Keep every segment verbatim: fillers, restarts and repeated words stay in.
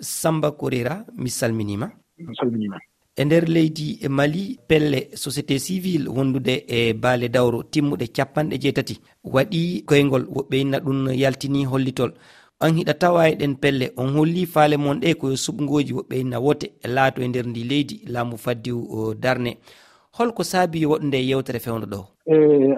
Samba Korera, mi salminiima. Mi salminiima. E nder leydi e Mali, pelle société civile wondude e baale dawro timmuɗe capanɗe jeetati waɗi koyngol, woɓɓe inna ɗum yaltini hollitol. An hiɗa tawa e ɗen pelle, on holli faale mon ɗe ko yo suɓngooji woɓɓe inna wote laato e nder ndi leydi laamu faddiw o darne. Holko saabi woɗnde yewtere fewndo ɗo? E,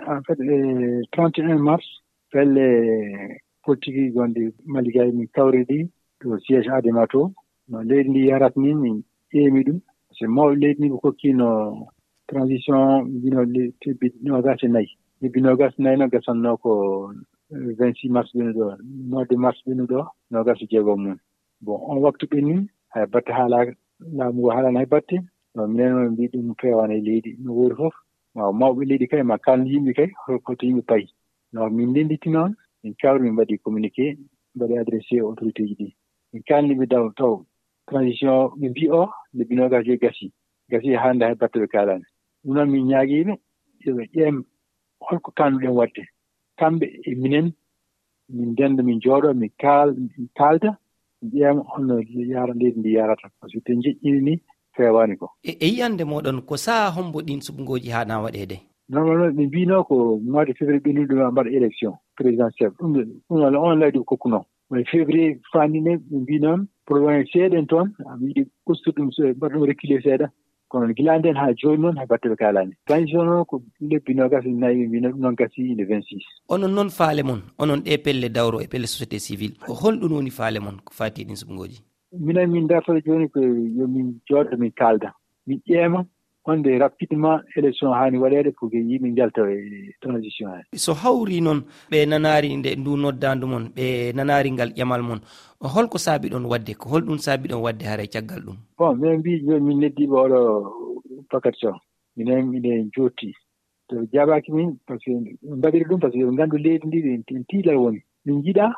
en fait, e trente et un mars, pelle politique gonɗe Mali gay min kawri ɗi to siège Adema to. No leydi ndi yarat ni min ƴeemi ɗum. Se mawɓe leydi ndi ɓe kokki no transition, mbino le-, lebbi noogas e nayi. Lebbi noogas e nayi no gasanno ko, eh, vingt-six mars ɓennuɗo, mois de mars ɓennuɗo, noogas e jeego mum. Bon, on waktu ɓenni, hay batte haalaaka, laamu ngu haalaani hay batte. No minen on mbi ɗum feewaani e leydi, no woori fof. Ma mawɓe leydi kay, ma kaalnu yimɓe kay, ho-, hoto yimɓe payi. No min ndennditi noon, min kawri, min mbaɗi communiqué, mbaɗi adressé autorité ji ɗi. Min kaalni ɓe daw taw transition ɓe mbi o, lebbi noogas joyi gasi. Gasi hannde hay batte ɓe kaalaani. Ɗum noon min ñaagiiɓe, yo ɓe ƴeem holko kaanduɗen waɗde. Kamɓe e minen, min ndennda, min njooɗo, min kaal-, min kaalda, min ƴeema honno yaara leydi ndi yarata. Parce que te njeƴƴini ni feewaani ko. E, e yiyande moɗon, ko saha hombo ɗin suɓngooji haana waɗeede? Normalement, ɓe mbino ko mois de février ɓe nulɗo ma mbaɗa élection présidentielle. Ɗum, ɗum walla on laydi ko kokkuno. Mais février fani ne, ɓe mbi noon, problème seeɗa en toon, a yiɗi ustu ɗum, so mbaɗa ɗum reculer seeɗa. Kono gila nden haa jooni noon, hay batte ɓe kaalaani. Transition noon ko lebbi noogas e nayi, ɓe mbi noon, ɗum noon gasi le vingt-six. Onon noon faale mon, onon ɗe pelle dawro e pelle société civile, ko holɗum woni faale mon ko faati e ɗin suɓngooji? Minen min dartata jooni ko yo min jooɗo, min kaalda, min ƴeema honde rapidement élection haani waɗeede pour que yimɓe njalta e transition he. So hawri noon, ɓe nanaari nde ndu noddaandu mon, ɓe nanaari ngal ƴamal mon, holko saabi ɗon waɗde? Ko holɗum saabi ɗon waɗde haray caggal ɗum? Bon, min mbi jooni min neddiiɓe oɗo paquet so minen miɗen jotti. To ɓe jaabaaki min, parce que ɓe mbaɗiri ɗum, parce que ɓe ngandu leydi ndi, ɓe en tiilal woni. Min njiɗa,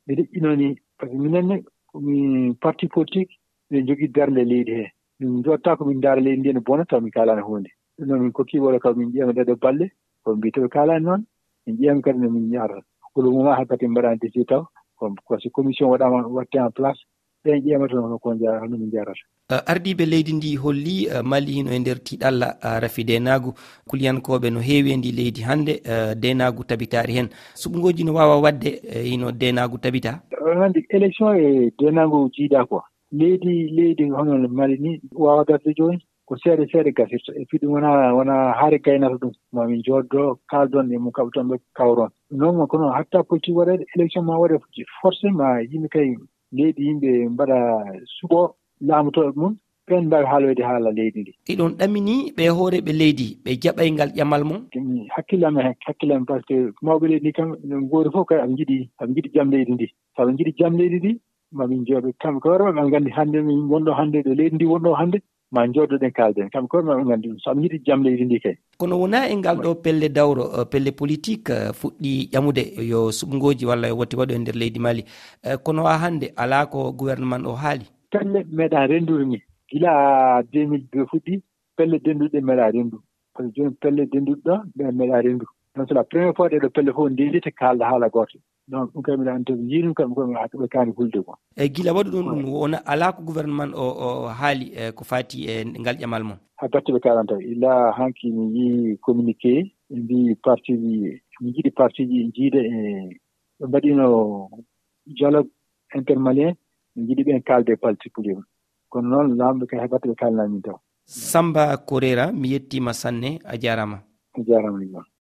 ɓe deƴƴinoni, parce que minen ne, ko min parti politique, ɓe jogii darnde leydi he. Min njotta ko min ndaara leydi ndi ene bona, taw min kaalaani huunde. Ɗum noon min kokki wala kaw min ƴeema ɗeɗo balle, ko mbi to ɓe kaalaani noon, min ƴeema kadi no min yaarata. Pour le moment, hay batte min mbaɗaani décidé taw, ko, ko si commission waɗaama, watte en place, ɓen ƴeemata hono ko nja-, hono min njarata. Eh, ardiiɓe leydi ndi holli, eh, Mali hino e nder tiiɗalla, eh, rafi deenaagu. Kuliyankooɓe no heewi e ndi leydi hannde, eh, deenaagu tabitaari hen. Suɓngooji no waawa waɗde, eh, hino deenaagu tabita? On anndi élection e deenaagu jiida ko. Leydi, leydi hono no Mali ni waawa darde jooni. Ko seeɗa seeɗa gasirta. Et puis ɗum wona, wona haare gaynata ɗum. Ma min jooɗo, kaaldon e mum kaɓe toon ɓe kawron. Non, kono hatta politique waɗeede, élection ma waɗe forcément yimɓe kay leydi yimɓe mbaɗa suɓo laamotooɓe mum, ɓeen mbaawi haaloyde haala leydi ndi. Iɗon ɗamini ɓe hooreeɓe leydi, ɓe jaɓay ngal ƴamal mon? Hakkille am e hakkille am, parce que mawɓe leydi ndi kam, ɓe ngoori fof kay, aɓe njiɗi, aɓe njiɗi jam leydi ndi. So ɓe njiɗi jam leydi ndi, ma min njooɗo kamɓe ko hoore maɓɓe, ɓe nganndi hannde min wonɗo hannde ɗo leydi ndi wonɗo hannde, ma njooɗoɗen kaalden. Kamɓe ko hoore maɓɓe nganndi ɗum. So ɓe njiɗi jam leydi ndi kay. Kono wonaa e ngal ɗo pelle dawro, eh, pelle politique, eh, fuɗɗi ƴamude yo suɓngooji walla yo wote waɗo e nder leydi Mali. Eh, kono haa hannde alaa ko gouvernement o haali. Pelle meeɗa renndude ni. Gila deux mille deux fuɗɗi, pelle dennduɗe meeɗa renndu. Parce que jooni pelle dennduɗe ɗo, ɗe meeɗa renndu. Donc c'est la première fois ɗeɗo pelle fof ndendita kaalda haala gooto. Donc ɗum kay mbiɗa anndi to ɓe njii ɗum kam, ko ɓe kaani hulde ko. E gila waɗu ɗum, ɗum wona alaa ko gouvernement o, o haali, e ko faati e ngal ƴamal mon? Hay batte ɓe kaalanta. Ila hanki mi yii communiqué, ɓe mbii parti ji, mi jiɗi parti ji jiida e ɓe mbaɗino dialogue intermalien, mi jiɗi ɓen kaalde particulier. Kono noon laamɓe kay hay batte ɓe kaalnaa min taw. Samba Korera, mi yettiima sanne, a jaaraama. A jaaraama, Ibrahima.